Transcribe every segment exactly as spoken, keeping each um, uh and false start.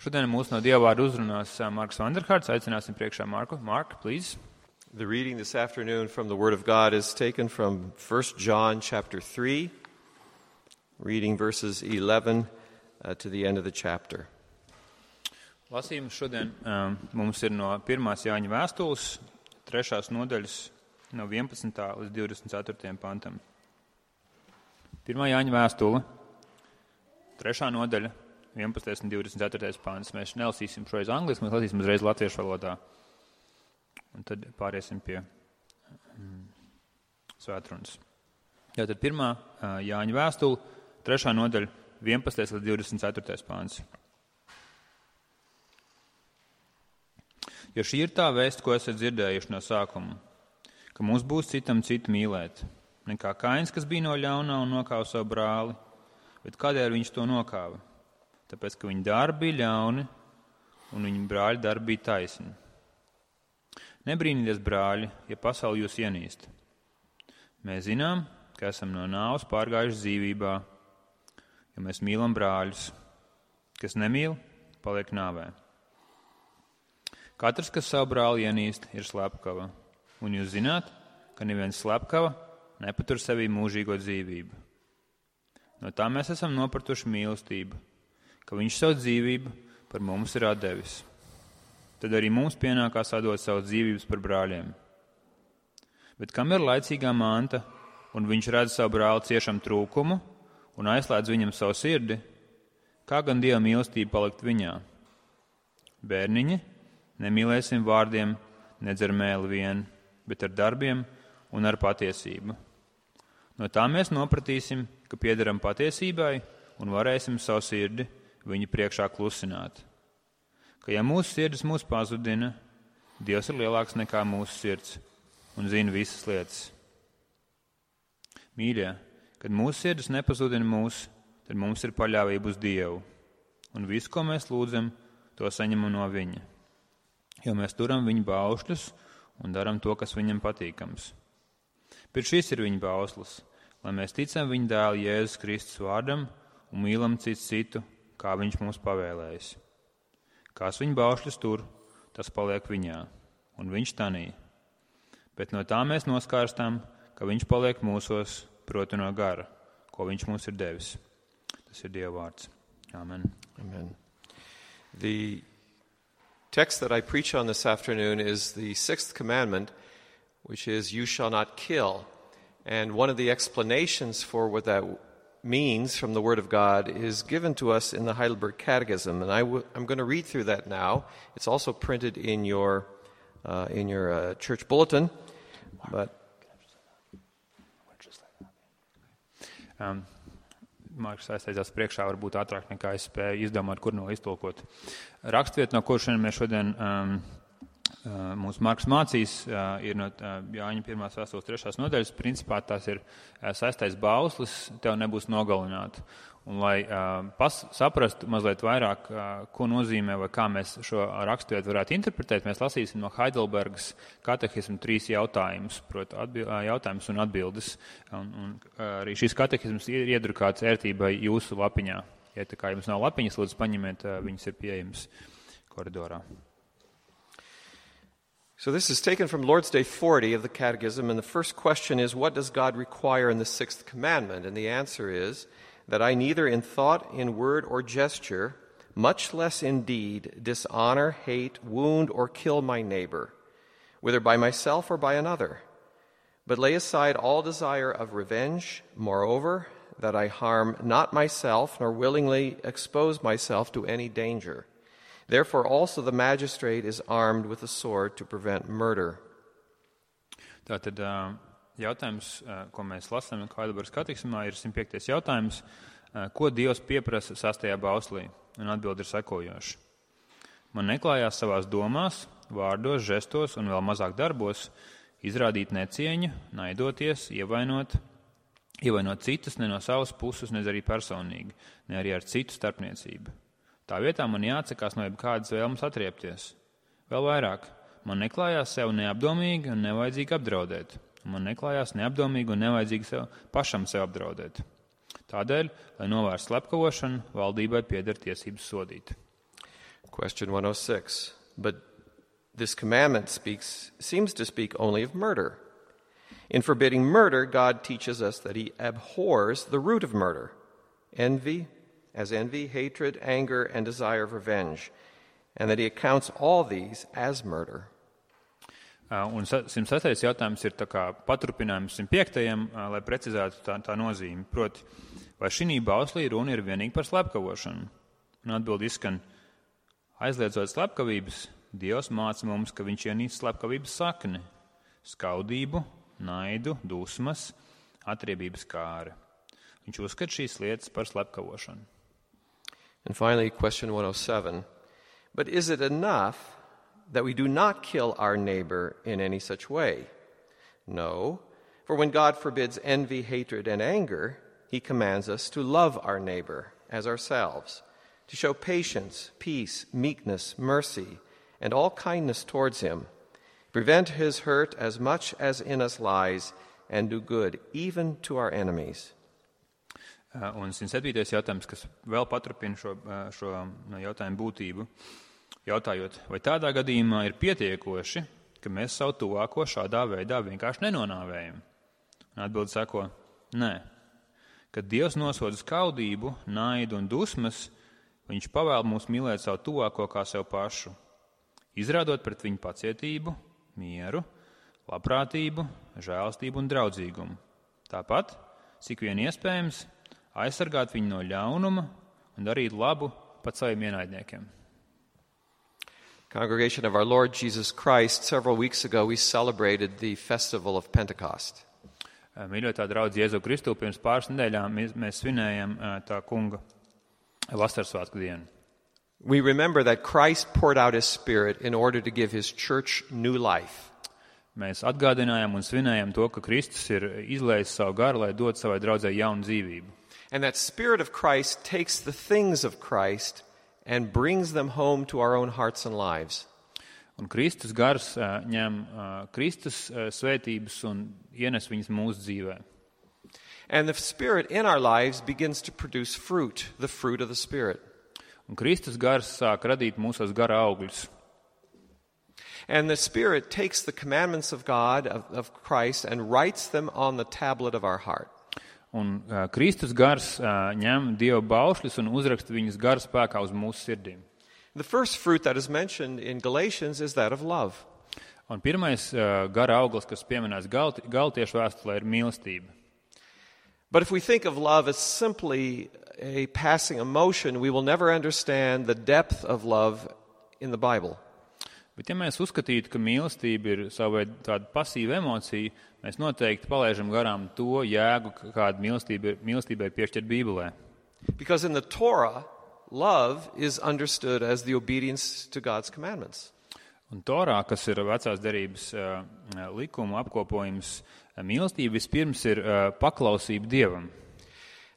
Šodien mūsu no Dieva vārda uzrunās Marks Vanderhārds. Aicināsim priekšā Marku. Mark, please. The reading this afternoon from the Word of God is taken from First John chapter three, reading verses eleven uh, to the end of the chapter. Lasījums šodien um, mums ir no pirmās Jāņa vēstules, trešās nodaļas, no vienpadsmitā līdz divdesmit ceturtajam pantam. Pirmā Jāņa vēstule, trešā nodaļa, vienpadsmitais un divdesmit ceturtais pants. Mēs nelasīsim šoreiz angliski, mēs lasīsim uzreiz latviešu valodā. Un tad pāriesim pie mm, svētrunas. Tātad pirmā uh, Jāņa vēstule, trešā nodaļa, vienpadsmitais līdz divdesmit ceturtais pants. Jo šī ir tā vēsts, ko esat dzirdējuši no sākuma, ka mums būs citam citu mīlēt, nekā Kains, kas bija no ļaunā un nokāva savu brāli, bet kādēļ viņš to nokāva? Tāpēc, ka viņa darbi bija ļauni un viņa brāļa darbi bija taisni. Nebrīnīties, brāļi, ja pasauli jūs ienīst. Mēs zinām, ka esam no nāves pārgājuši dzīvībā, jo mēs mīlam brāļus. Kas nemīl, paliek nāvē. Katrs, kas savu brāli ienīst, ir slepkava. Un jūs zināt, ka neviens slepkava nepatur sevī mūžīgo dzīvību. No tā mēs esam nopratuši mīlestību, ka viņš savu dzīvību par mums ir atdevis. Tad arī mums pienākās atdot savu dzīvības par brāļiem. Bet kam ir laicīgā manta, un viņš redz savu brāli ciešam trūkumu un aizslēdz viņam savu sirdi, kā gan Dieva mīlestība palikt viņā? Bērniņi, nemīlēsim vārdiem, nedz ar mēli vien, bet ar darbiem un ar patiesību. No tā mēs nopratīsim, ka piederam patiesībai un varēsim savu sirdi viņa priekšā klusināt. Ka ja mūsu sirdis mūs pazudina, Dievs ir lielāks nekā mūsu sirds un zina visas lietas. Mīļie, kad mūsu sirdis nepazudina mūs, tad mums ir paļāvība uz Dievu, un visu, ko mēs lūdzam, to saņemam no viņa. Jo mēs turam viņa baušļus un daram to, kas viņam patīkams. Bet šis ir viņa bauslis, lai mēs ticam viņa dēla Jēzus Kristus vārdam un mīlam citu citu, kā viņš mums pavēlējis. Kās viņa baušļus tur, tas paliek viņā, un viņš tanī. Bet no tā mēs noskārstām, ka viņš paliek mūsos, proti no gara, ko viņš mums ir devis. Tas ir Dieva vārds. Amen. Amen. The text that I preach on this afternoon is the sixth commandment, which is, you shall not kill. And one of the explanations for what that means from the Word of God is given to us in the Heidelberg Catechism. And I w- I'm going to read through that now. It's also printed in your, uh, in your uh, church bulletin. But um, Marks aizteicās priekšā, varbūt ātrāk nekā es spēju izdomāt, kur no iztulkot. Rakstvieta, no kur šodien mēs šodien um, uh, mūsu Marks mācīs, uh, ir no uh, Jāņa pirmās vēstules trešās nodaļas. Principā tās ir uh, saistais bauslis, tev nebūs nogalināti. Un, lai uh, pas, saprastu mazliet vairāk, uh, ko nozīmē vai kā mēs šo raksturvietu varētu interpretēt, mēs lasīsim no Heidelbergas katehisma trīs jautājumus, proti atbil, uh, jautājumus un atbildes. Un, un uh, arī šis katehisms ir iedrukāts ērtībai jūsu lapiņā. Ja tā kā jums nav lapiņas, lūdzu paņemiet, uh, viņas ir pieejamas koridorā. So this is taken from Lord's Day forty of the Catechism, and the first question is, what does God require in the sixth commandment? And the answer is, that I neither in thought, in word, or gesture, much less in deed, dishonor, hate, wound, or kill my neighbor, whether by myself or by another, but lay aside all desire of revenge, moreover, that I harm not myself, nor willingly expose myself to any danger. Therefore also the magistrate is armed with a sword to prevent murder. Tātad jautājums, ko mēs lasām Heidelbergas katekismā, ir simt piektais jautājums, ko Dievs pieprasa sastajā bauslī, un atbilde ir sekojoša. Man neklājās savās domās, vārdos, žestos un vēl mazāk darbos izrādīt necieņu, naidoties, ievainot, ievainot citus ne no savas puses, ne arī personīgi, ne arī ar citu starpniecību. Tā vietā man jāatsakās no jebkādas vēlmes atriepties. Vēl vairāk, man neklājās sev neapdomīgi un nevajadzīgi apdraudēt. Man neklājās neapdomīgi un nevajadzīgi sev, pašam sev apdraudēt. Tādēļ, lai novērstu slepkavošanu, valdībai pieder tiesības sodīt. Question one oh six. But this commandment speaks, seems to speak only of murder. In forbidding murder, God teaches us that he abhors the root of murder, envy, as envy, hatred, anger, and desire of revenge, and that he accounts all these as murder. Un simt sestais jautājums ir tā kā paturpinājums simt piektajam, lai precizētu tā, tā nozīmi. Proti, vai šī bauslī runa ir vienīgi par slepkavošanu? Un atbildi izskan, aizliedzot slepkavības, Dievs māca mums, ka viņš ienīst slepkavības sakni, skaudību, naidu, dusmas, atriebības kāri. Viņš uzskata šīs lietas par slepkavošanu. And finally, question one oh seven. But is it enough that we do not kill our neighbor in any such way? No, for when God forbids envy, hatred, and anger, he commands us to love our neighbor as ourselves, to show patience, peace, meekness, mercy, and all kindness towards him, prevent his hurt as much as in us lies, and do good even to our enemies. Un simt septītais jautājums, kas vēl paturpina šo, šo jautājumu būtību, jautājot, vai tādā gadījumā ir pietiekoši, ka mēs savu tuvāko šādā veidā vienkārši nenonāvējam? Un atbildi sako, nē. Kad Dievs nosoda skaudību, naidu un dusmas, viņš pavēl mums mīlēt savu tuvāko kā sev pašu, izrādot pret viņu pacietību, mieru, labprātību, žēlastību un draudzīgumu. Tāpat, cik vien iespējams, aizsargāt viņu no ļaunuma un darīt labu pat saviem ienaidniekiem. Congregation of our Lord Jesus Christ, several weeks ago we celebrated the festival of Pentecost. Mīļotā draudz Jēzu Kristu, pirms pāris nedēļām mēs svinējam tā kunga vasarsvētku dienu. We remember that Christ poured out his Spirit in order to give his church new life. Mēs atgādinājām un svinējām to, ka Kristus ir izlējis savu garu, lai dod savai draudzei jaunu dzīvību. And that Spirit of Christ takes the things of Christ and brings them home to our own hearts and lives. Un Kristus gars uh, ņem uh, Kristus uh, svētības un ienes viņas mūsu dzīvē. And the Spirit in our lives begins to produce fruit, the fruit of the Spirit. Un Kristus gars sāk radīt mūsos gara augļus. And the Spirit takes the commandments of God, of, of Christ, and writes them on the tablet of our heart. Un uh, Kristus gars uh, ņem Dieva baušļus un uzraksta viņus gara spēkā uz mūsu sirdīm. The first fruit that is mentioned in Galatians is that of love. Un pirmais uh, gara auglis, kas pieminēts Galti, Galtiešu vēstulē, ir mīlestība. But if we think of love as simply a passing emotion, we will never understand the depth of love in the Bible. Bet ja mēs uzskatītu, ka mīlestība ir savu veidu tāda pasīva emocija, mēs noteikti palaižam garām to jēgu, kāda mīlestība, mīlestība ir piešķirta Bībelē. Because in the Torah, love is understood as the obedience to God's commandments. Un Torā, kas ir vecās derības uh, likuma apkopojums, mīlestība vispirms ir uh, paklausība Dievam.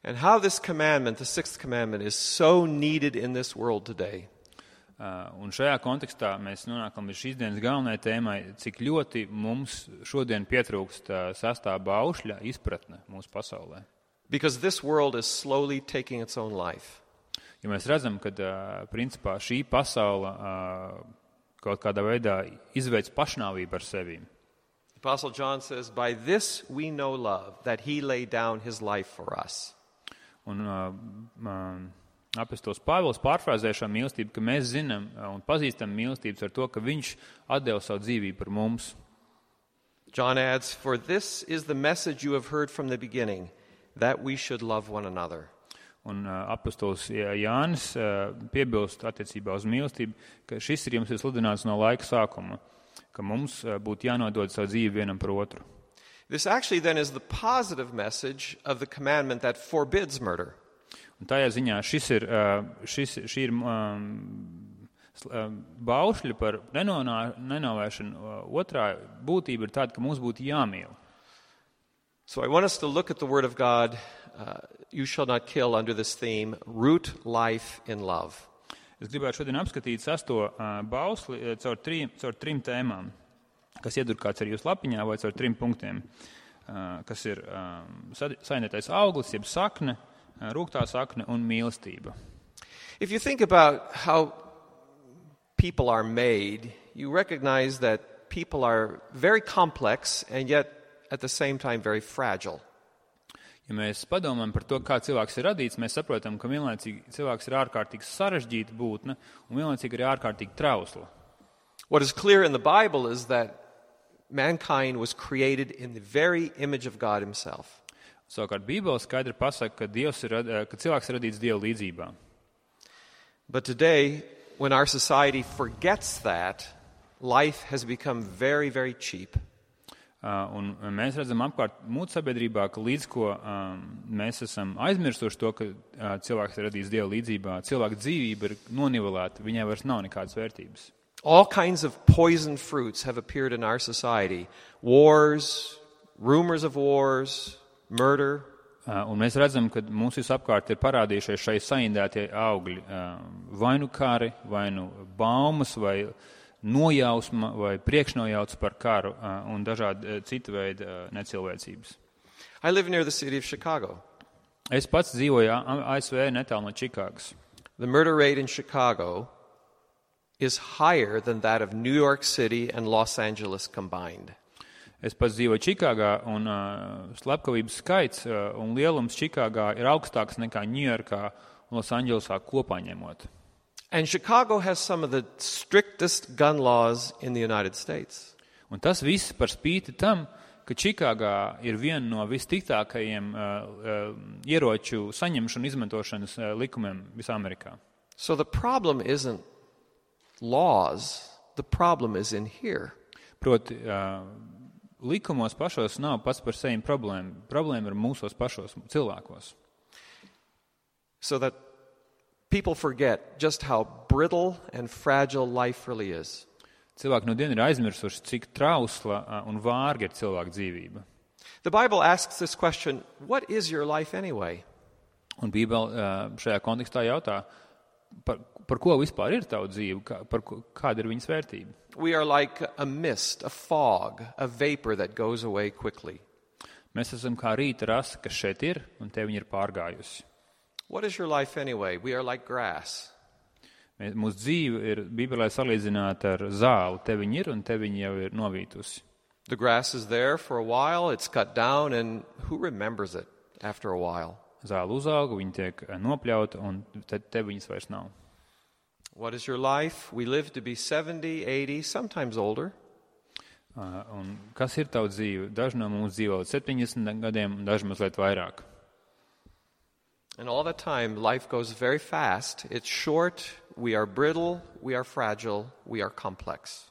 And how this commandment, the sixth commandment, is so needed in this world today. Uh, un šajā kontekstā mēs nonākam līdz šīs dienas galvenajai tēmai, cik ļoti mums šodien pietrūkst uh, sastā baušļa izpratne mūsu pasaulē. Because this world is slowly taking its own life. Ja mēs redzam, ka uh, principā šī pasaule uh, kaut kādā veidā izveic pašnāvību ar sevi. Apostle John says, by this we know love, that he laid down his life for us. Un uh, um, apostols Pāvils pārfrāzē šo mīlestību, ka mēs zinām un pazīstam mīlestības ar to, ka viņš atdeva savu dzīvību par mums. John adds, for this is the message you have heard from the beginning, that we should love one another. Un uh, apostols Jānis uh, piebilst attiecībā uz mīlestību, ka šis ir jums ir sludināts no laika sākuma, ka mums uh, būtu jānodod savu dzīvi vienam par otru. This actually then is the positive message of the commandment that forbids murder. Un tajā ziņā šis ir, šis, šī ir um, baušļi par nenonā, nenovēršanu. Otrā būtība ir tāda, ka mums būtu jāmīl. So I want us to look at the Word of God, uh, you shall not kill, under this theme, root life in love. Es gribētu šodien apskatīt sesto uh, bausli caur trim, caur trim tēmām, kas iedurkāts arī jūsu lapiņā vai caur trim punktiem, uh, kas ir um, saindētais auglis, jeb sakne, rūgtā sakne un mīlestība. If you think about how people are made, you recognize that people are very complex and yet at the same time very fragile. Ja mēs padomājam par to, kā cilvēks ir radīts, mēs saprotam, ka vienlaicīgi cilvēks ir ārkārtīgi sarežģīta būtne un vienlaicīgi ir ārkārtīgi trausla. What is clear in the Bible is that mankind was created in the very image of God himself. Savukārt Bībele skaidri pasaka, ka, Dievs ir, ka cilvēks ir radīts Dieva līdzībā. But today, when our society forgets that, life has become very, very cheap. Uh, un mēs redzam apkārt mūsu sabiedrībā, ka līdz ko um, mēs esam aizmirsuši to, ka uh, cilvēks ir radīts Dieva līdzībā, cilvēka dzīvība ir nonivelēta, viņai vairs nav nekādas vērtības. All kinds of poison fruits have appeared in our society. Wars, rumors of wars, murder. Uh, un mēs redzam, ka mums visapkārt ir parādījušies šai saindētie augļi. Uh, vai nu kari, vai nu baumas, vai nojausma, vai priekšnojauts par karu uh, un dažādi uh, cita veida uh, necilvēcības. I live near the city of Chicago. Es pats dzīvoju A S V netālu no Čikāgas. The murder rate in Chicago is higher than that of New York City and Los Angeles combined. Es pats dzīvoju Čikāgā, un uh, slepkavības skaits uh, un lielums Čikāgā ir augstāks nekā Ņujorkā un Losandželosā kopā ņemot. And Chicago has some of the strictest gun laws in the United States. Un tas viss par spīti tam, ka Čikāgā ir viena no vistiktākajiem uh, uh, ieroču saņemšanu izmantošanas uh, likumiem visā Amerikā. So the problem isn't laws, the problem is in here. Proti, uh, likumos pašos nav pats par sevi problēma. Problēma ir mūsos pašos cilvēkos. So that people forget just how brittle and fragile life really is. Cilvēki no dienu ir aizmirsuši, cik trausla uh, un vārga ir cilvēka dzīvība. The Bible asks this question, what is your life anyway? Un Bībele uh, šajā kontekstā jautā, par, par ko vispār ir tava dzīve, kā, par ko, kāda ir viņas vērtība. We are like a mist, a fog, a vapor that goes away quickly. Mēs esam kā rīta rasa, kas šeit ir, un te viņa ir pārgājusi. What is your life anyway? We are like grass. Mēs, mūsu dzīve ir Bībelē salīdzināta ar zāli. Te viņa ir, un te viņa jau ir novītusi. The grass is there for a while, it's cut down, and who remembers it after a while? Zāle uzauga, viņa tiek nopļauta, un te, te viņas vairs nav. What is your life? We live to be seventy, eighty, sometimes older. Uh, un kas ir tava dzīve? Daži no mums dzīvo līdz septiņdesmit gadiem, un daži mazliet vairāk. And all that time, life goes very fast. It's short, we are brittle, we are fragile, we are complex.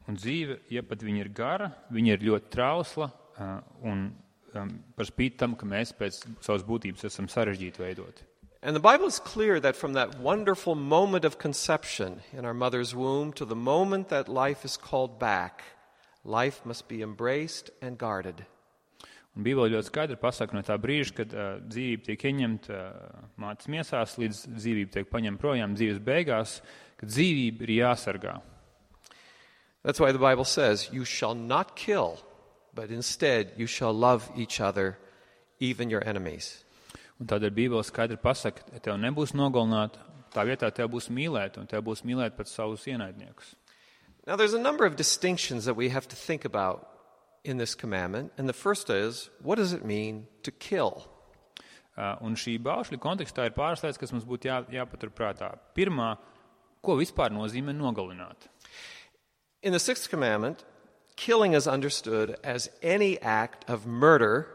Un dzīve, ja pat viņa ir gara, viņa ir ļoti trausla, uh, un um, par spīti tam, ka mēs pēc savas būtības esam sarežģīti veidoti. And the Bible is clear that from that wonderful moment of conception in our mother's womb to the moment that life is called back, life must be embraced and guarded. Un Bībele ļoti skaidri pasaka no tā brīža, kad uh, dzīvība tiek ieņemta uh, mātes miesās, līdz dzīvība tiek paņemta projām dzīves beigās, ka dzīvība ir jāsargā. That's why the Bible says, you shall not kill, but instead you shall love each other, even your enemies. Un tādēļ Bībele skaidri pasaka, tev nebūs nogalināt, tā vietā tev būs mīlēt, un tev būs mīlēt pat savus ienaidniekus. Now there's a number of distinctions that we have to think about in this commandment, and the first is, what does it mean to kill? Uh, un šī baušļa kontekstā ir pāris lietas, kas mums būtu jā, jāpatur prātā. Pirmā, ko vispār nozīmē nogalināt? In the sixth commandment, killing is understood as any act of murder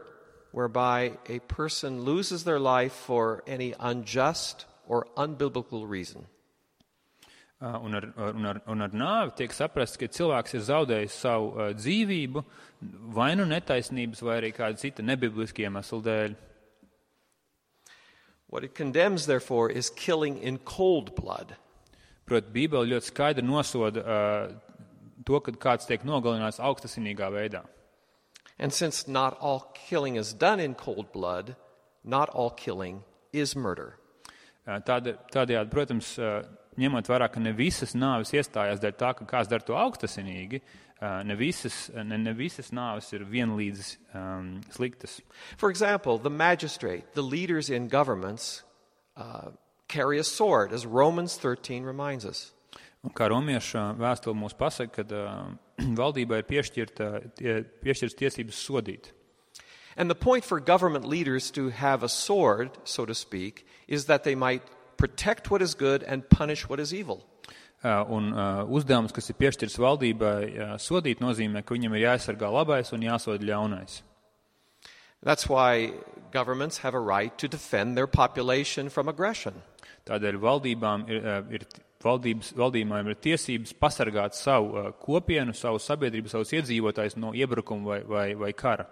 whereby a person loses their life for any unjust or unbiblical reason. Uh, un, ar, un, ar, un ar nāvi tiek saprasts, ka cilvēks ir zaudējis savu uh, dzīvību vai nu netaisnības, vai arī kāda cita nebibliska iemesla dēļ. What it condemns, therefore, is killing in cold blood. Proti, Bībele ļoti skaidri nosoda uh, to, kad kāds tiek nogalināts augstasinīgā veidā. And since not all killing is done in cold blood, not all killing is murder. Uh, tād, tādējādi, protams, uh, ņemot vērā, ka ne visas nāves iestājās dēļ tā, ka kāds dara to augstasinīgi, ne visas, ne, ne visas nāves ir vienlīdz um, sliktas. For example, the magistrate, the leaders in governments uh, carry a sword, as Romans thirteen reminds us. Un kā romiešu vēstule mūs pasaka, kad uh, valdībai ir piešķirta, tie, piešķirtas tiesības sodīt. And the point for government leaders to have a sword, so to speak, is that they might protect what is good and punish what is evil. Uh, un uh, uzdevums, kas ir piešķirts valdībai, uh, sodīt nozīmē, ka viņam ir jāaizsargā labais un jāsoda ļaunais. That's why governments have a right to defend their population from aggression. Tādēļ valdībām ir, uh, ir Valdības, valdībām ir tiesības pasargāt savu uh, kopienu, savu sabiedrību, savus iedzīvotājus no iebrukuma vai, vai, vai kara.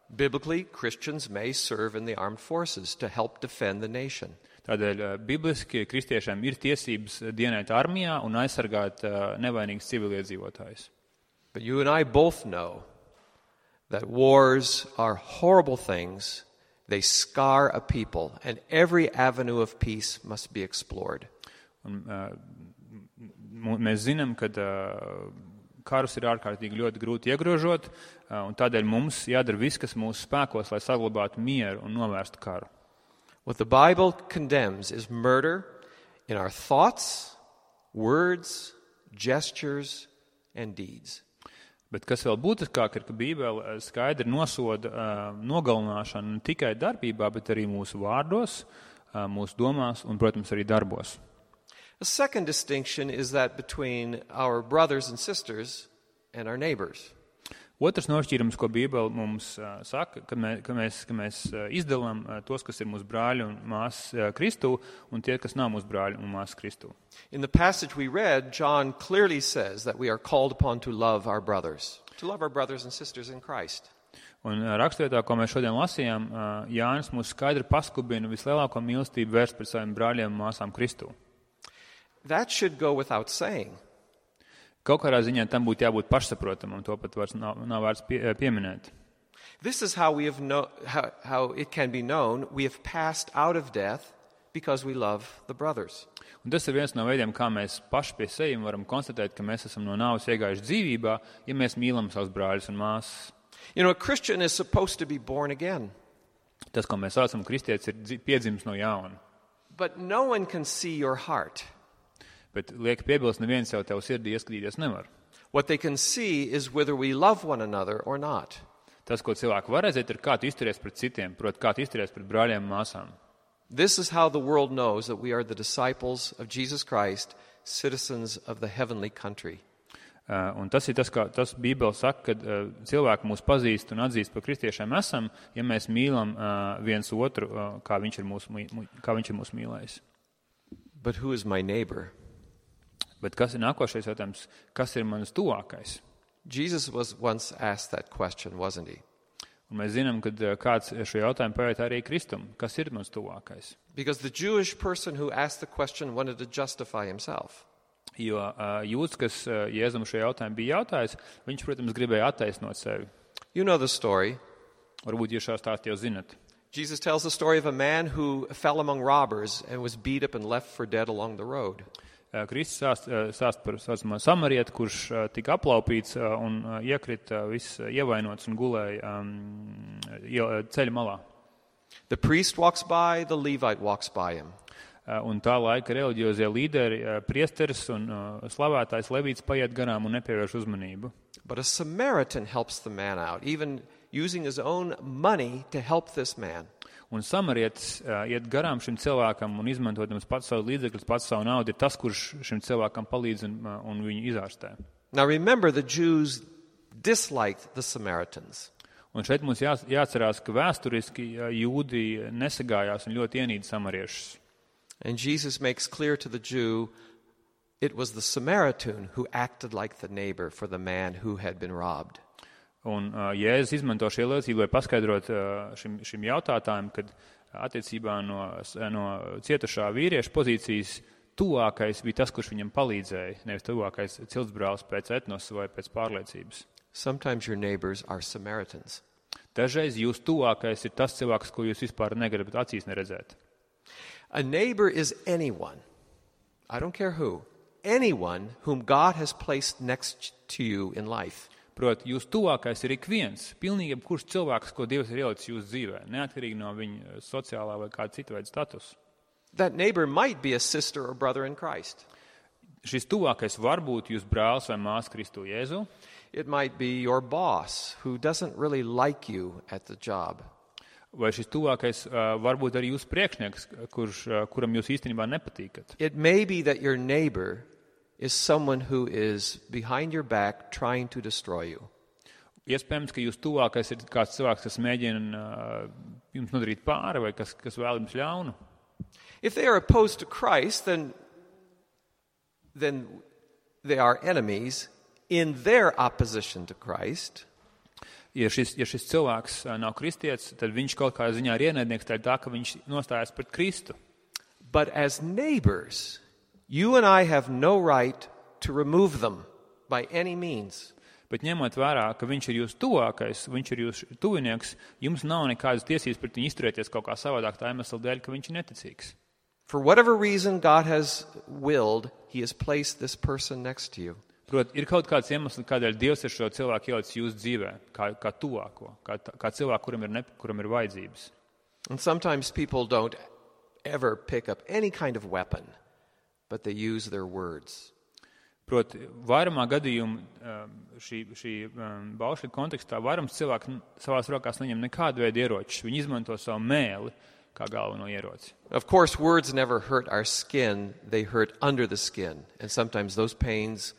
Biblically, Christians may serve in the armed forces to help defend the nation. Tādēļ uh, bibliski kristiešiem ir tiesības dienēt armijā un aizsargāt uh, nevainīgus civiliedzīvotājus. But you and I both know that wars are horrible things. They scar a people, and every avenue of peace must be explored. Un, uh, mēs zinām, ka uh, karus ir ārkārtīgi ļoti grūti iegrožot, uh, un tādēļ mums jādara viss, kas mūsu spēkos, lai saglabātu mieru un novērstu karu. What the Bible condemns is murder in our thoughts, words, gestures, and deeds. Bet kas vēl būtiskāk ir, ka Bībele skaidri nosoda uh, nogalināšanu ne tikai darbībā, bet arī mūsu vārdos, uh, mūsu domās un, protams, arī darbos. A second distinction is that between our brothers and sisters and our neighbors. Otrs nošķīrums, ko Bībele mums uh, saka, ka, mē, ka mēs, ka mēs uh, izdalām uh, tos, kas ir mūsu brāļi un māsas uh, Kristū, un tie, kas nav mūsu brāļi un māsas Kristū. In the passage we read, John clearly says that we are called upon to love our brothers, to love our brothers and sisters in Christ. Un uh, rakstvietā, ko mēs šodien lasījām, uh, Jānis mūs skaidri paskubina vislielāko mīlestību vērst pret saviem brāļiem un māsām Kristū. That should go without saying. Kaut kādā ziņā tam būtu jābūt pašsaprotamam, to pat vairs nav, nav vērts pie, pieminēt. This is how we have know, how, how it can be known we have passed out of death because we love the brothers. Un tas ir viens no veidiem, kā mēs paši pie sevis varam konstatēt, ka mēs esam no nāves iegājuši dzīvībā, ja mēs mīlam savus brāļus un māsas. You know, a Christian is supposed to be born again. Tas, ko mēs saucam kristietis, ir piedzimis no jauna. But no one can see your heart. Bet liek piebilst, neviens jau tev sirdī ieskatīties nevar. What they can see is whether we love one another or not. Tas, ko cilvēki var redzēt, ir kā tu izturies pret citiem, proti, kā tu izturies pret brāļiem un māsām. This is how the world knows that we are the disciples of Jesus Christ, citizens of the heavenly country. Uh, un tas ir tas, kā tas Bībele saka, kad uh, cilvēki mūs pazīst un atzīst par kristiešiem esam, ja mēs mīlam uh, viens otru, uh, kā viņš ir mūs, kā viņš ir mūs mīlējis. But who is my neighbor? Bet kas ir nākošais jautājums? Kas ir manas tuvākais? Jesus was once asked that question, wasn't he? Un mēs zinām, ka kāds šo jautājumu pajautā arī Kristum. Kas ir mans tuvākais? Because the Jewish person who asked the question wanted to justify himself. Jo uh, jūds, kas uh, Jēzum šo jautājumu bija jautājis, viņš, protams, gribēja attaisnot sevi. You know the story. Varbūt jūs šo stāstu jau zinat. Jesus tells the story of a man who fell among robbers and was beat up and left for dead along the road. Kristus sāst, sāst par saucamo samarietu, kurš tika aplaupīts un iekrita viss ievainots un gulēja um, ceļa malā. The priest walks by, the Levite walks by him. Un tā laika reliģiozie līderi, priesteris un slavētājs Levīts paiet garām un nepievērš uzmanību. But a Samaritan helps the man out, even using his own money to help this man. Un samarietis uh, iet garām šim cilvēkam un izmantojot pats savu līdzekļus, pats savu naudu, ir tas, kurš šim cilvēkam palīdz un, uh, un viņu izārstē. Now remember, the Jews disliked the Samaritans. Un šeit mums jā, jāatcerās, ka vēsturiski uh, jūdi nesagājās un ļoti ienīda samariešus. And Jesus makes clear to the Jew, it was the Samaritan who acted like the neighbor for the man who had been robbed. Un uh, Jēzus izmanto šie liecību, lai paskaidrot uh, šim, šim jautātājam, kad attiecībā no, no cietušā vīrieša pozīcijas tuvākais bija tas, kurš viņam palīdzēja, nevis tuvākais ciltsbrālis pēc etnosa vai pēc pārliecības. Sometimes your neighbors are Samaritans. Dažreiz jūs tuvākais ir tas cilvēks, ko jūs vispār negribat acīs neredzēt. A neighbor is anyone, I don't care who, anyone whom God has placed next to you in life. Proti, jūs tuvākais ir ik viens, pilnīgi jebkurš cilvēks, ko Dievs ir ielicis jūsu dzīvē, neatkarīgi no viņa sociālā vai kāda cita veida status. That neighbor might be a sister or brother in Christ. Šis tuvākais var būt jūs brālis vai māsa Kristu Jēzu. It might be your boss who doesn't really like you at the job. Vai šis tuvākais uh, var būt arī jūsu priekšnieks, kurš, uh, kuram jūs īstenībā nepatīkat. It may be that your neighbor is someone who is behind your back trying to destroy you. Iespējams, ka jūs tuvākais ir kāds cilvēks, kas mēģina uh, jums nodarīt pāri vai kas, kas vēl jums ļaunu. If they are opposed to Christ, then, then they are enemies in their opposition to Christ. Ja šis, ja šis cilvēks nav kristietis, tad viņš kaut kādā ziņā ir ienaidnieks tā, ka viņš nostājas pret Kristu. But as neighbors, you and I have no right to remove them by any means. Bet ņemot vērā, ka viņš ir jūsu tuvākais, viņš ir jūsu tuvinieks, jums nav nekādas tiesības pret viņu izturēties kaut kā savādāk tā iemesla dēļ, ka viņš ir neticīgs. For whatever reason God has willed, he has placed this person next to you. Prot, ir kaut kāds iemesls, kādēļ Dievs ir šo cilvēku ielicis jūsu dzīvē, kā, kā tuvāko, kā, kā cilvēku, kuram ir, ne, kuram ir vajadzības. And sometimes people don't ever pick up any kind of weapon, but they use their words. Prot, vairumā gadījumu šī, šī baušļa kontekstā vairums cilvēku savās rokās neņem nekādu veidu ieročus. Viņi izmanto savu mēli kā galveno ieroci. Of course, words never hurt our skin, they hurt under the skin. And sometimes those pains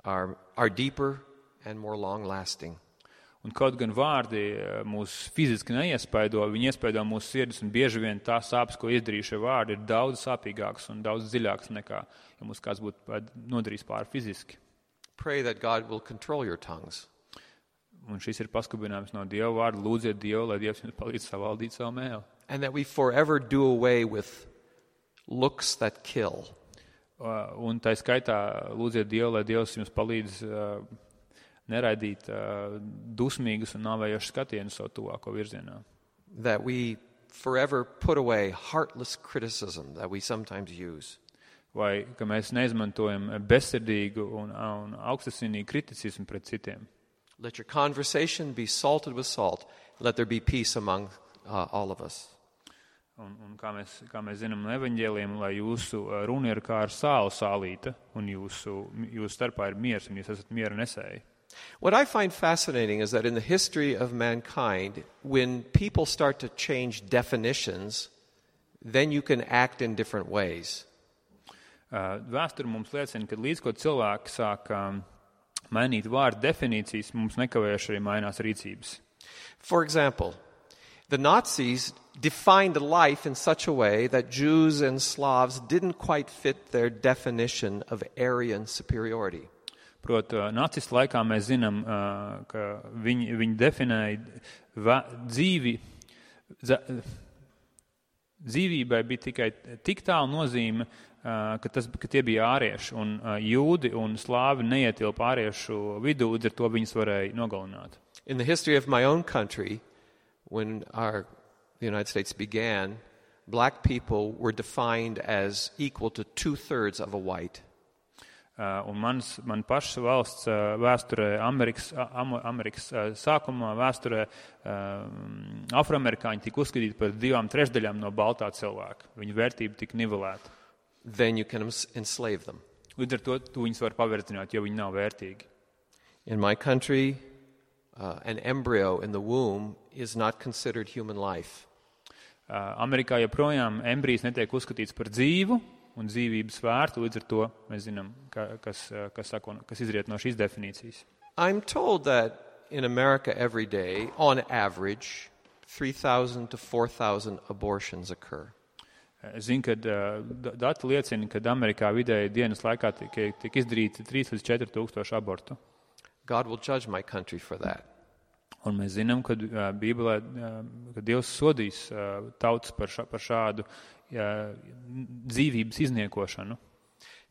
Are, are deeper and more long-lasting. Un kaut gan vārdi mūs fiziski neiespaido, viņi iespaido mūsu sirdis, un bieži vien tā sāpes, ko izdarīja šie vārdi, ir daudz sāpīgāks un daudz dziļāks nekā, ja mums kāds būtu nodarījis pāri fiziski. Pray that God will control your tongues. Un šis ir paskubinājums no Dieva vārda. Lūdziet Dievu, lai Dievs jums palīdz savaldīt savu mēli. And that we forever do away with looks that kill. Un tā skaitā lūdziet Dievu, lai Dievs jums palīdz uh, neraidīt uh, dusmīgus un nāvējošus skatienus savu tuvāko virzienā. That we forever put away heartless criticism that we sometimes use. Vai ka mēs neizmantojam bezsirdīgu un, un augstasinīgu kriticismu pret citiem. Let your conversation be salted with salt. Let there be peace among uh, all of us. Un, un kā, mēs, kā mēs zinām no evaņģēliem, lai jūsu runa ir kā ar sālu sālīta, un jūsu, jūsu starpā ir miers, un jūs esat miera nesēji. What I find fascinating is that in the history of mankind, when people start to change definitions, then you can act in different ways. Uh, Vēsture mums liecina, ka līdz ko cilvēki sāk um, mainīt vārdu definīcijas, mums nekavējuši arī mainās rīcības. For example, the Nazis defined life in such a way that Jews and Slavs didn't quite fit their definition of Aryan superiority. Prot, nacistu laikā mēs zinām, ka viņi, viņi definēja dzīvi, dzīvībai bija tikai tik tālu nozīme, ka, tas, ka tie bija ārieši, un jūdi un slāvi neietilpa āriešu vidū, līdz ar to viņus varēja nogalināt. In the history of my own country, when our the United States began, black people were defined as equal to two-thirds of a white. Uh, un mans, man pašas valsts uh, vēsturē, Amerikas, am, Amerikas uh, sākumā vēsturē uh, afroamerikāņi tika uzskatīti par divām trešdaļām no baltā cilvēka. Viņu vērtība tika nivelēta. Then you can enslave them. Līdz ar to tu viņus var pavertināt, jo viņi nav vērtīgi. In my country, uh, an embryo in the womb is not considered human life. Uh, Amerikā joprojām embrijs netiek uzskatīts par dzīvu un dzīvības vērtu, līdz ar to mēs zinām, ka, kas, kas, sako, kas izriet no šīs definīcijas. I'm told that in America every day, on average, three thousand to four thousand abortions occur. Es zinu, ka dati liecina, ka Amerikā vidēji dienas laikā tiek, tiek izdarīti trīs līdz četri tūkstoši abortu. God will judge my country for that. Un mēs zinām, ka uh, Bībelē, uh, ka Dievs sodīs uh, tautas par, šā, par šādu uh, dzīvības izniekošanu.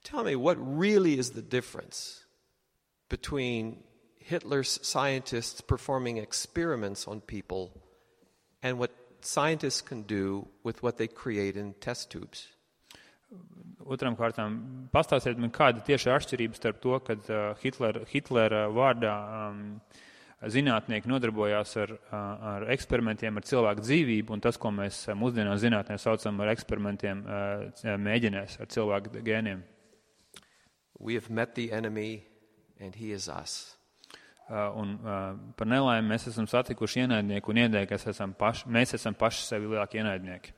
Tell me, what really is the difference between Hitler's scientists performing experiments on people and what scientists can do with what they create in test tubes? Otram kārtām, pastāstiet man, kāda tieši atšķirība starp to, kad uh, Hitler, Hitlera vārdā um, zinātnieki nodarbojās ar, ar eksperimentiem ar cilvēku dzīvību, un tas, ko mēs mūsdienās zinātnē saucam ar eksperimentiem mēģinēs ar cilvēku gēniem. We have met the enemy, and he is us. Uh, un uh, par nelaimi mēs esam satikuši ienaidnieku un ienaidnieki esam paši, mēs esam paši sevi lielākie ienaidnieki.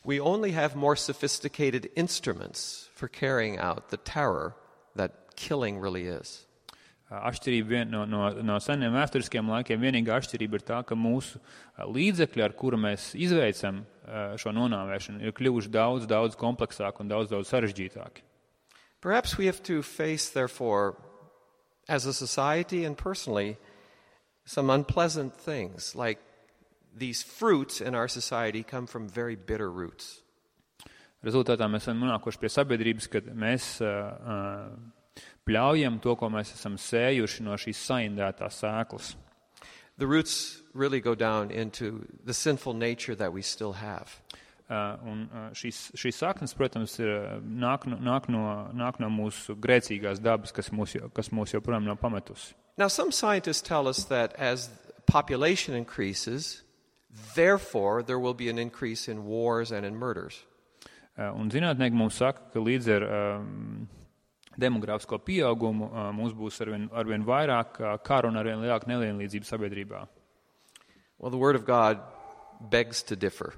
We only have more sophisticated instruments for carrying out the terror that killing really is. Uh, atšķirība vien, no, no, no seniem vēsturiskiem laikiem vienīgā atšķirība ir tā, ka mūsu uh, līdzekļi, ar kuru mēs izveicam uh, šo nonāvēšanu, ir kļuvuši daudz, daudz kompleksāki un daudz, daudz sarežģītāki. Perhaps we have to face, therefore, as a society and personally, some unpleasant things, like these fruits in our society come from very bitter roots. Rezultātā mēs esam nonākuši pie sabiedrības, kad mēs uh, uh, pļaujam to, ko mēs esam sējuši no šīs saindētās sēklas. The roots really go down into the sinful nature that we still have. Uh, un uh, šīs, šīs saknes, protams, ir, nāk, no, nāk, no, nāk no mūsu grēcīgās dabas, kas mūs, kas mūs joprojām nav pametusi. Now, some scientists tell us that as population increases, therefore there will be an increase in wars and in murders. Uh, un zinātnieki mums saka, ka līdz ar um, demogrāfisko pieaugumu uh, mums būs arvien, arvien vairāk uh, karu un arvien lielāka nevienlīdzība sabiedrībā. Well, the Word of God begs to differ.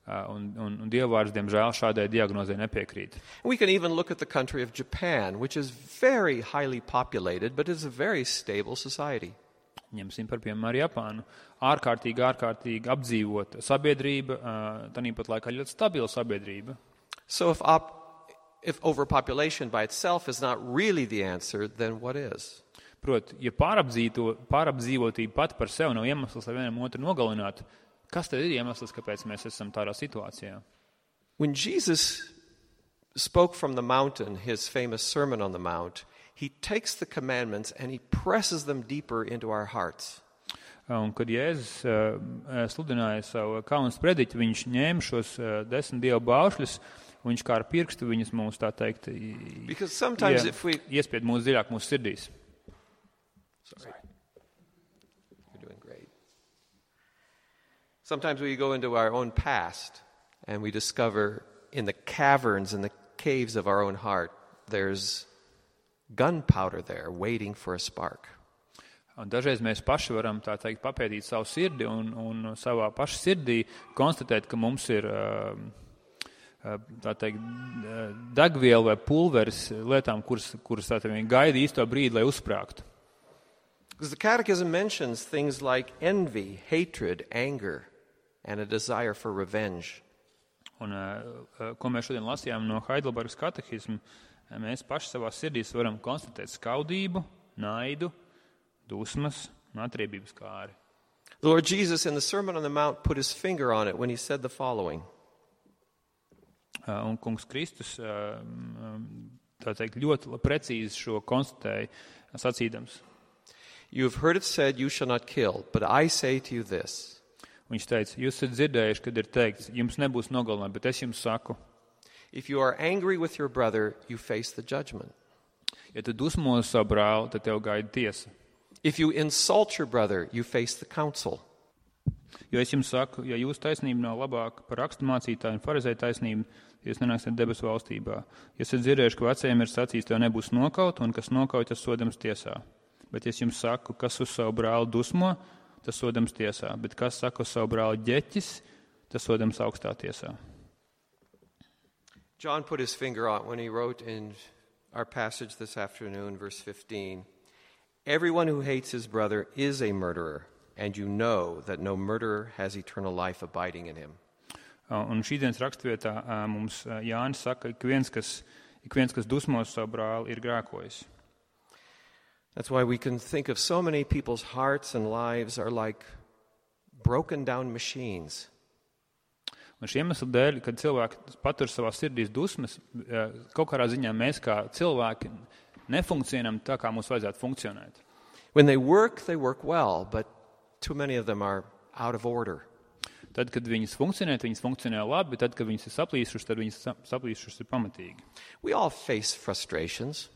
Uh, un, un, un Dievvvārds, diemžēl, šādai diagnozei nepiekrīt. We can even look at the country of Japan, which is very highly populated, but is a very stable society. Ņemsim par piemēram arī Japānu. Ārkārtīgi, ārkārtīgi apdzīvota sabiedrība, uh, tāpat laikā ļoti stabila sabiedrība. So if, op- if overpopulation by itself is not really the answer, then what is? Proti, ja pārapdzīvotība pat par sevi nav iemesls, lai vienam otru nogalinātu, kas tad ir iemesls, kāpēc mēs esam tādā situācijā? When Jesus spoke from the mountain, his famous Sermon on the Mount, he takes the commandments and he presses them deeper into our hearts. Un kad Jēzus uh, sludināja savu kaunas prediķi, viņš ņēma šos uh, desmit dievu baušļus, un viņš kā ar pirkstu viņus mums, tā teikt, Because sometimes ie, if we... iespied mūsu dziļāk mūsu sirdīs. Sorry. You're doing great. Sometimes we go into our own past and we discover in the caverns, in the caves of our own heart, there's gunpowder there waiting for a spark. Un dažreiz mēs paši varam, tā teikt, papētīt savu sirdi un, un savā paša sirdī konstatēt, ka mums ir, tā teikt, degviela vai pulveris lietām, kuras, kuras tā teikt, gaida īsto brīdi, lai uzsprāgtu. Because the Catechism mentions things like envy, hatred, anger, and a desire for revenge. Un, ko mēs šodien lasījām no Heidelbergas katehisma, mēs paši savā sirdīs varam konstatēt skaudību, naidu, dusmas un atriebības kāri. The Lord Jesus in the Sermon on the Mount put his finger on it when he said the following. Un kungs Kristus, tā teikt, ļoti precīzi šo konstatēja, sacīdams. You have heard it said, you shall not kill, but I say to you this. Viņš teica, jūs esat dzirdējuši, kad ir teikts, jums nebūs nogalināt, bet es jums saku. If you are angry with your brother, you face the judgment. Ja tu dusmos savu brāli, tad tev gaida tiesa. If you insult your brother, you face the council. Jo es jums saku, ja jūsu taisnība nav labāka par rakstu mācītāju un farizēju taisnību, jūs nenāksiet debesu valstībā. Ja esat dzirdējuši, ka vecajiem ir sacīts, tev nebūs nokaut, un kas nokauj, tas sodams tiesā. Bet es jums saku, kas uz savu brāli dusmo, tas sodams tiesā. Bet kas saka uz savu brāli ģeķis, tas sodams augstā tiesā. John put his finger on when he wrote in our passage this afternoon, verse fifteen, everyone who hates his brother is a murderer, and you know that no murderer has eternal life abiding in him. Un šīdienas rakstvietā mums Jānis saka, ik viens, kas, ik viens, kas dusmos savu brāli, ir grēkojis. That's why we can think of so many people's hearts and lives are like broken down machines. Un šī iemesla dēļ, kad cilvēki patur savā sirdīs dusmas, kaut kādā ziņā mēs kā cilvēki nefunkcionam tā, kā mums vajadzētu funkcionēt. When they work, they work well, but too many of them are out of order. Tad, kad viņas funkcionē, viņas funkcionē labi, bet tad, kad viņas ir saplīsušas, tad viņas saplīsušas ir pamatīgi. We all face frustrations.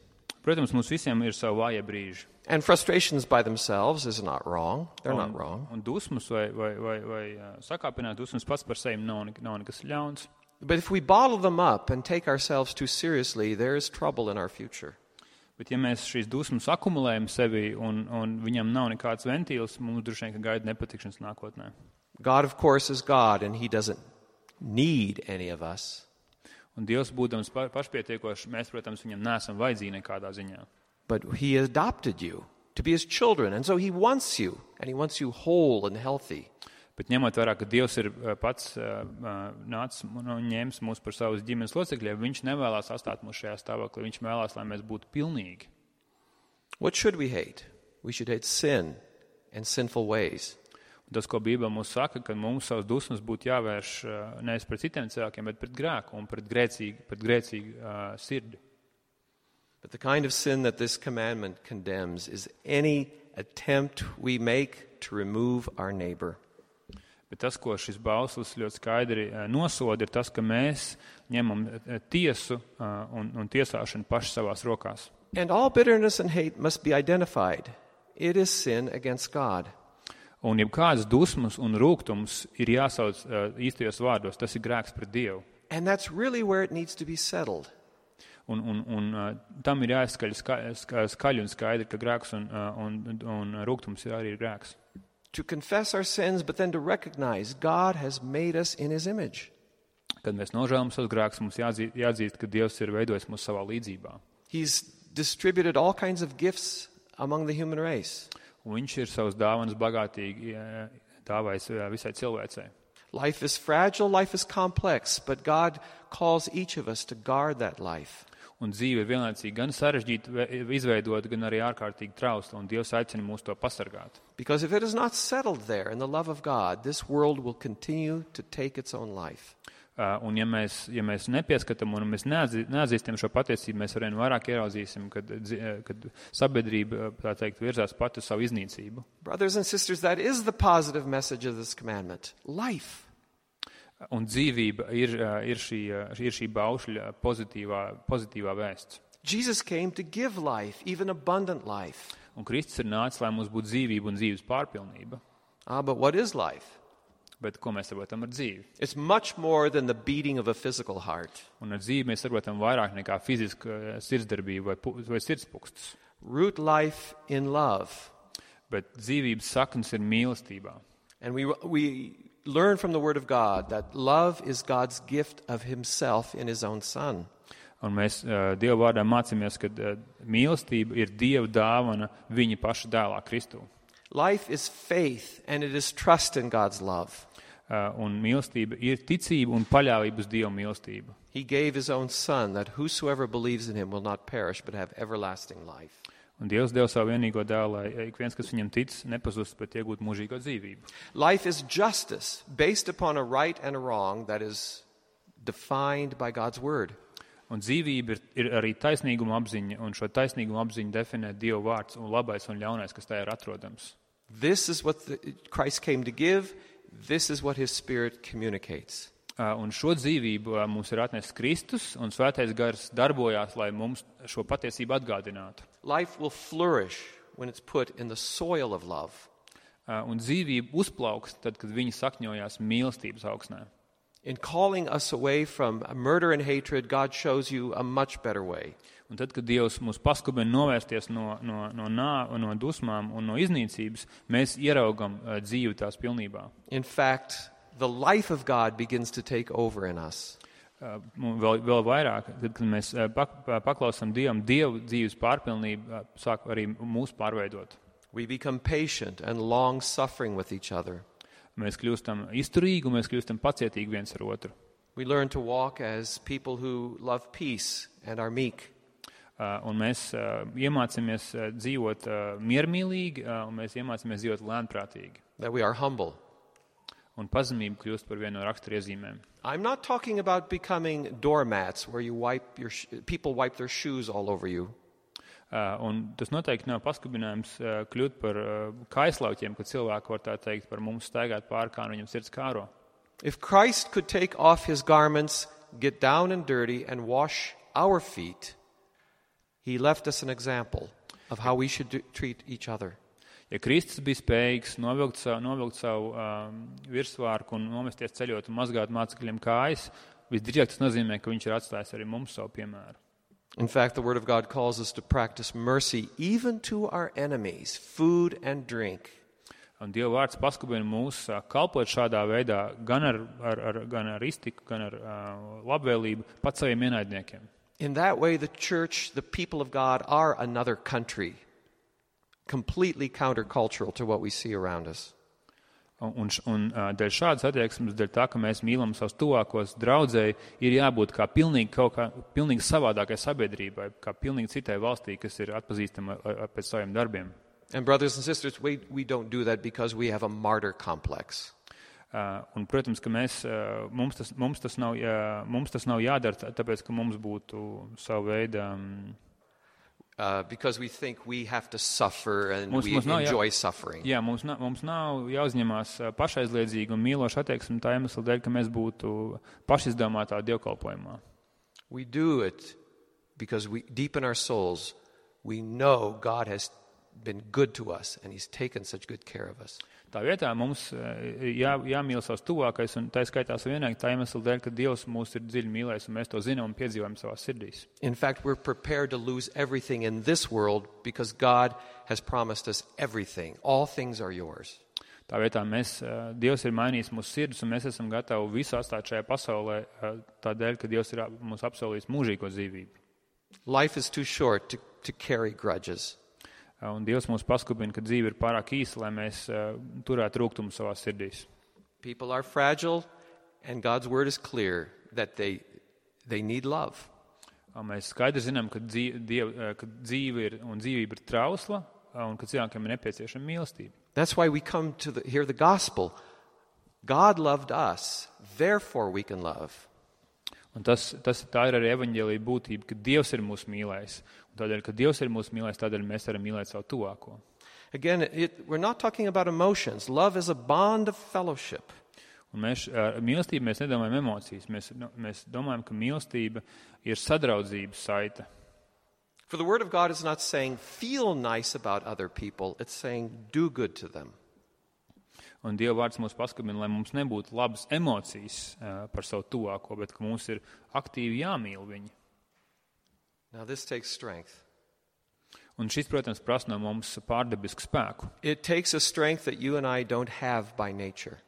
Protams, mums visiem ir savi vājie brīži. And frustrations by themselves is not wrong. They're un, not wrong. Un dusmas vai, vai, vai, vai sakāpināt dusmas pats par sevi nav, nav nekas ļauns. But if we bottle them up and take ourselves too seriously, there is trouble in our future. Bet ja mēs šīs dusmas akumulējam sevi un, un viņam nav nekāds ventīls, mums droši vien, ka gaida nepatikšanas nākotnē. God, of course, is God, and he doesn't need any of us. Un Dievs, būdams pa, pašpietiekošs, mēs, protams, viņam neesam vajadzīgi nekādā ziņā. But he adopted you to be his children, and so he wants you, and he wants you whole and healthy. Bet ņemot vērā, ka Dievs ir pats uh, nācis un ņēmis mūs par savus ģimenes locekļiem, viņš nevēlās atstāt mūs šajā stāvoklī, viņš vēlās, lai mēs būtu pilnīgi. What should we hate? We should hate sin and sinful ways. Un tas, ko Bībele mums saka, ka mums savas dusmas būtu jāvērš uh, nevis pret citiem cilvēkiem, bet pret grēku un pret grēcīgu, pret grēcīgu uh, sirdi. But the kind of sin that this commandment condemns is any attempt we make to remove our neighbor. Bet tas, ko šis bauslis ļoti skaidri nosoda, ir tas, ka mēs ņemam tiesu un, un tiesāšanu paši savās rokās. And all bitterness and hate must be identified. It is sin against God. Un jebkādas dusmas un rūgtums ir jāsauc īstajos vārdos. Tas ir grēks pret Dievu. And that's really where it needs to be settled. Un, un, un tam ir jāizskaļ ska, skaļi un skaidri, ka grēks un, un, un rūgtums ir arī grēks. To confess our sins, but then to recognize God has made us in his image. Kad mēs nožēlam savus grēkus, mums jāatzīst, jāatzīst, ka Dievs ir veidojis mūs savā līdzībā. He's distributed all kinds of gifts among the human race. Un viņš ir savus dāvanas bagātīgi dāvājis visai cilvēcei. Life is fragile, life is complex, but God calls each of us to guard that life. Un dzīve ir vienlaicīgi gan sarežģīta izveidota, gan arī ārkārtīgi trausla, un Dievs aicina mūs to pasargāt. Because if it is not settled there in the love of God, this world will continue to take its own life. Uh, un ja mēs, ja mēs nepieskatām un mēs neatzīstam šo patiesību, mēs arvien vairāk ieraudzīsim, kad, kad sabiedrība, tā teikt, virzās pati savu iznīcību. Brothers and sisters, that is the positive message of this commandment. Life. Un dzīvība ir, ir, šī, ir šī baušļa pozitīvā, pozitīvā vēsts. Jesus came to give life, even abundant life. Un Kristus ir nācis, lai mums būtu dzīvība un dzīves pārpilnība. Ah, but what is life? Bet ko mēs saprotam ar dzīvi? It's much more than the beating of a physical heart. Un ar dzīvi mēs saprotam vairāk nekā fiziska sirdsdarbība vai, vai sirdspūkstus. Root life in love. Bet dzīvības saknes ir mīlestībā. And we we learn from the Word of God that love is God's gift of himself in his own Son. Un mēs uh, Dieva vārdā mācāmies, ka uh, mīlestība ir Dieva dāvana viņa paša dēlā Kristū. Life is faith and it is trust in God's love. Uh, un mīlestība ir ticība un paļāvība uz Dieva mīlestību. He gave his own Son that whosoever believes in him will not perish but have everlasting life. Un Dievs deva savu vienīgo dēlu, lai ik viens, kas viņam tic, nepazust, bet iegūt mūžīgo dzīvību. Life is justice based upon a right and a wrong that is defined by God's word. Un dzīvība ir, ir arī taisnīguma apziņa, un šo taisnīguma apziņu definē Dieva vārds un labais un ļaunais, kas tajā ir atrodams. This is what the, Christ came to give. This is what his Spirit communicates. Uh, un šo dzīvību uh, mums ir atnesis Kristus, un Svētais Gars darbojās, lai mums šo patiesību atgādinātu. Life will flourish when it's put in the soil of love. Uh, un dzīvība uzplauks tad, kad viņi sakņojās mīlestības augsnē. In calling us away from murder and hatred, God shows you a much better way. Un tad, kad Dievs mūs paskubina novērsties no, no, no, nā, no dusmām un no iznīcības, mēs ieraugam uh, dzīvi tās pilnībā. In fact, the life of God begins to take over in us. Uh, vēl, vēl vairāk, tad, kad mēs uh, pak, paklausām Dievam, Dieva dzīves pārpilnība uh, sāk arī mūs pārveidot. We become patient and long-suffering with each other. Mēs kļūstam izturīgi un mēs kļūstam pacietīgi viens ar otru. We learn to walk as people who love peace and are meek. Uh, un mēs uh, iemācāmies uh, dzīvot uh, miermīlīgi, uh, un mēs iemācāmies dzīvot lēnprātīgi. That we are humble. Un pazemība kļūst par vienu no raksturiezīmēm. I'm not talking about becoming doormats where you wipe your sh- people wipe their shoes all over you. Uh, un tas noteikti nav paskubinājums uh, kļūt par uh, kaislauķiem, kad cilvēki var tā teikt par mums staigāt pār kā viņam sirds kāro. If Christ could take off his garments, get down and dirty, and wash our feet, he left us an example of how we should do, treat each other. Ja Kristus bija spējīgs novilkt savu, novilkt savu um, virsvārku un nomesties ceļot un mazgāt mācekļiem kājas, visdrīzāk tas nozīmē, ka viņš ir atstājis arī mums savu piemēru. In fact, the Word of God calls us to practice mercy even to our enemies, food and drink. Un Dieva vārds paskubina mūs uh, kalpot šādā veidā gan ar, ar, ar, gan ar iztiku, gan ar uh, labvēlību pat saviem ienaidniekiem. In that way, the church, the people of God, are another country, completely countercultural to what we see around us. Un, un, un uh, dēļ šādas attieksmes, dēļ tā, ka mēs mīlam savus tuvākos, draudzēji, ir jābūt kā pilnīgi, kaut kā, pilnīgi savādākai sabiedrībai, kā pilnīgi citai valstī, kas ir atpazīstama pēc saviem darbiem. And brothers and sisters, we, we don't do that because we have a martyr complex. Uh, un, protams, ka mēs, uh, mums, tas, mums, tas nav, uh, mums tas nav jādara, tāpēc, ka mums būtu savu veidu... Um, uh, because we think we have to suffer and mums, we mums nav, enjoy jā, suffering. Jā, mums nav, mums nav jāuzņemās pašaizliedzīgi un mīloši attieksmi tā iemesla dēļ, ka mēs būtu pašizdomātā dievkalpojumā. We do it because we, deep in our souls, we know God has been good to us and He's taken such good care of us. Tā vietā mums jā, jāmīl savs tuvākais, un tā skaitā savienīgi tā iemesla dēļ, ka Dievs mūs ir dziļi mīlējis, un mēs to zinām un piedzīvojam savās sirdīs. In fact, we're prepared to lose everything in this world because God has promised us everything. All things are yours. Tā vietā mēs, Dievs ir mainījis mūsu sirdis, un mēs esam gatavi visu atstāt šajā pasaulē, tādēļ, ka Dievs ir mums apsolījis mūžīgo dzīvību. Life is too short to, to carry grudges. Un Dievs mums paskubina, ka dzīve ir pārāk īsa, lai mēs uh, turētu rūgtumu savās sirdīs. People are fragile, and God's word is clear that they, they need love. Un mēs skaidri zinām, ka dzīve, diev, ka dzīve ir un dzīvība ir trausla, un ka cilvēkiem ir nepieciešama mīlestība. That's why we come to the, hear the gospel. God loved us, therefore we can love. Un tas, tas, tā ir arī evaņģēlija būtība, ka Dievs ir mūs mīlējis. Un tādēļ, ka Dievs ir mūs mīlējis, tādēļ mēs varam mīlēt savu tuvāko. Again, it, we're not talking about emotions. Love is a bond of fellowship. Un mēs, ar mīlestību mēs nedomājam emocijas. Mēs, mēs domājam, ka mīlestība ir sadraudzības saite. For the word of God is not saying feel nice about other people. It's saying do good to them. Un Dieva vārds mūs paskatina, lai mums nebūtu labas emocijas uh, par savu tuvāko, bet ka mums ir aktīvi jāmīl viņi. Now this takes strength. Un šis, protams, prasa no mums pārdabisku spēku. It takes a strength that you and I don't have by nature.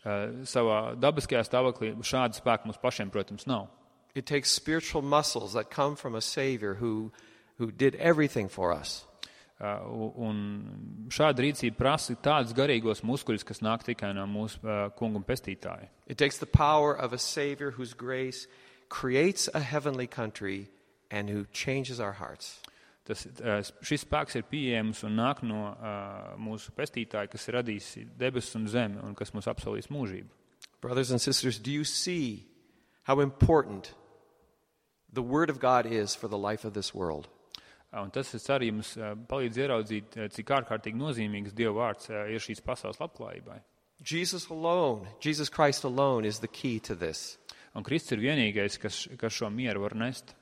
Uh, savā dabiskajā stāvoklī šāda spēka mums pašiem, protams, nav. It takes spiritual muscles that come from a Savior who, who did everything for us. Uh, un šāda rīcība prasa tādus garīgos muskuļus, kas nāk tikai no mūsu uh, kunga un pestītāja. It takes the power of a Savior whose grace creates a heavenly country and who changes our hearts. Tas, uh, šis spēks ir pieejams un nāk no uh, mūsu pestītāja, kas ir radījis debesis un zemi un kas mums apsolīs mūžību. Brothers and sisters, do you see how important the Word of God is for the life of this world? Un tas arī mums palīdz ieraudzīt, cik ārkārtīgi nozīmīgs Dieva vārds ir šīs pasaules labklājībai. Jesus alone, Jesus Christ alone is the key to this. Un Kristus ir vienīgais, kas, kas šo mieru var nest.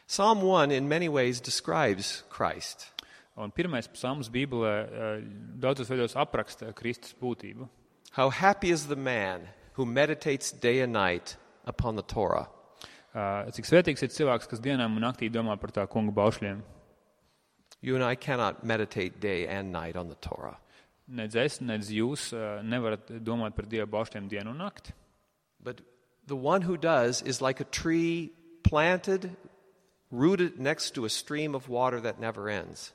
Psalm one in many ways describes Christ. Un pirmais psalms Bībelē daudzos veidos apraksta Kristus būtību. How happy is the man who meditates day and night upon the Torah. Uh, cik svētīgs ir cilvēks, kas dienām un naktī domā par tā kunga baušļiem. You and I cannot meditate day and night on the Torah. Nedz es, nedz jūs uh, nevarat domāt par Dieva baušļiem dienu un nakti. But the one who does is like a tree planted, rooted next to a stream of water that never ends.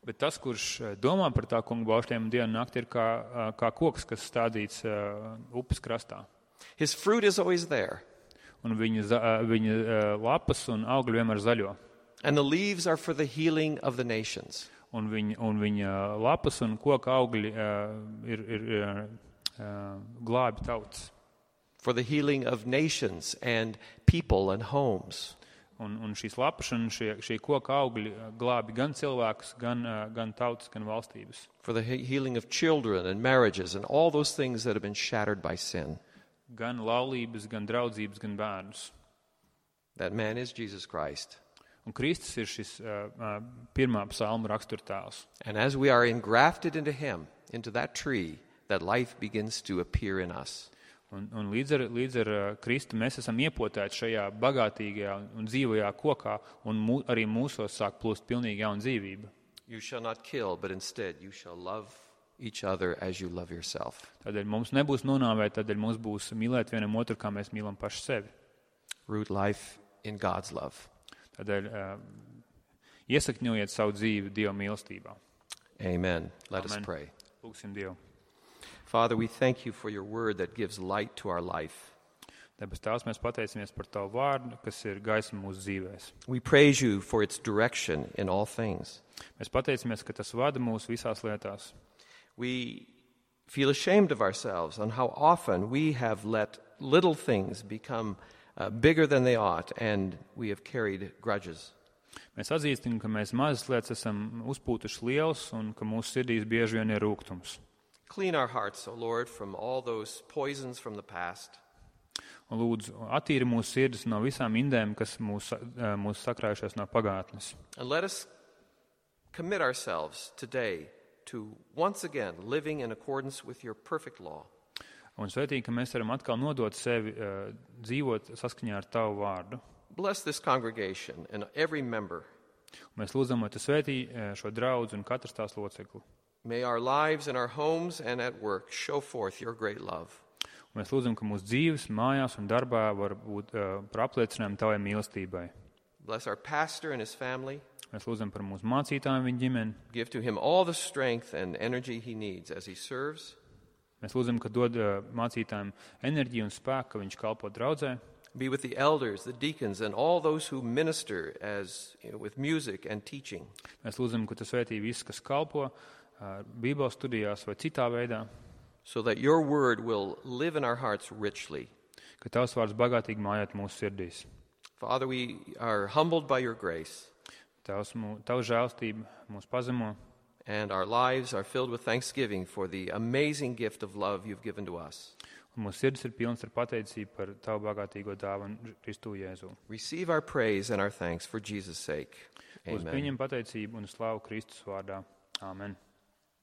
Bet tas, kurš domā par tā kunga baušļiem dienu un nakti, ir kā, uh, kā koks, kas stādīts uh, upes krastā. His fruit is always there. Un viņa, viņa lapas un augļi vienmēr zaļo. And the leaves are for the healing of the nations. Un viņa, un viņa lapas un koka augļi uh, ir, ir uh, glābi tautas. For the healing of nations and people and homes. Un, un šīs lapas un šie, šie koka augļi glābi gan cilvēkus, gan, uh, gan tautas, gan valstības. For the he- healing of children and marriages and all those things that have been shattered by sin. Gan laulības, gan draudzības, gan bērnus. That man is Jesus Christ. Un Kristus ir šis uh, uh, pirmā psalma raksturtēls. And as we are engrafted into him, into that tree, that life begins to appear in us. Un, un līdz ar, līdz ar uh, Kristu mēs esam iepotēti šajā bagātīgajā un dzīvajā kokā, un mū, arī mūsos sāk plūst pilnīgi jauna dzīvība. You shall not kill, but instead you shall love each other as you love yourself. Tādēļ mums nebūs nonāvēt, tādēļ mums būs mīlēt vienam otru, kā mēs mīlam paši sevi. Root life in God's love. Tādēļ uh, iesakņojiet savu dzīvi Dieva mīlestībā. Amen. Let Amen. us pray. Lūksim Dievu. Father, we thank you for your word that gives light to our life. Debes Tēvs, mēs pateicamies par Tavu vārdu, kas ir gaisma mūsu dzīvēs. We praise you for its direction in all things. Mēs pateicamies, ka tas vada mūs visās lietās. We feel ashamed of ourselves on how often we have let little things become uh, bigger than they ought, and we have carried grudges. Mēs atzīstam, ka mēs mazas lietas esam uzpūtuši liels un ka mūsu sirdīs bieži vien ir rūgtums. Clean our hearts, O Lord, from all those poisons from the past. Un lūdzu, attīri mūsu sirdis no visām indēm, kas mūs, mūs sakrājušās no pagātnes. And let us commit ourselves today to once again living in accordance with your perfect law. Un svētīgi, ka mēs varam atkal nodot sevi uh, dzīvot saskaņā ar Tavu vārdu. Bless this congregation and every member. Un mēs lūdzam, lai Tu svētī uh, šo draudzi un katrs tās locekli. May our lives in our homes and at work show forth your great love. Un mēs lūdzam, ka mūsu dzīves, mājās un darbā var būt uh, par apliecinājumu Tavai mīlestībai. Bless our pastor and his family. Mēs lūdzam par mūsu mācītājiem, viņa ģimeni. Give to him all the strength and energy he needs as he serves. Mēs lūdzam, ka dod uh, mācītājiem enerģiju un spēku, ka viņš kalpo draudzē. Be with the elders, the deacons, and all those who minister as you know, with music and teaching. Mēs lūdzam, ka Tu svētī visus, kas kalpo uh, Bībeles studijās vai citā veidā, so that your word will live in our hearts richly. ka Tavs vārds bagātīgi mājāt mūsu sirdīs. Father, we are humbled by your grace, Tavs, mū, Tavs žēlstība mūs pazemo, and our lives are filled with thanksgiving for the amazing gift of love you've given to us. un mūsu sirdis ir pilns ar pateicību par Tavu bagātīgo dāvu un Kristu Jēzu. Receive our praise and our thanks for Jesus' sake. Uz Amen. pieņem pateicību un slavu Kristus vārdā. Āmen.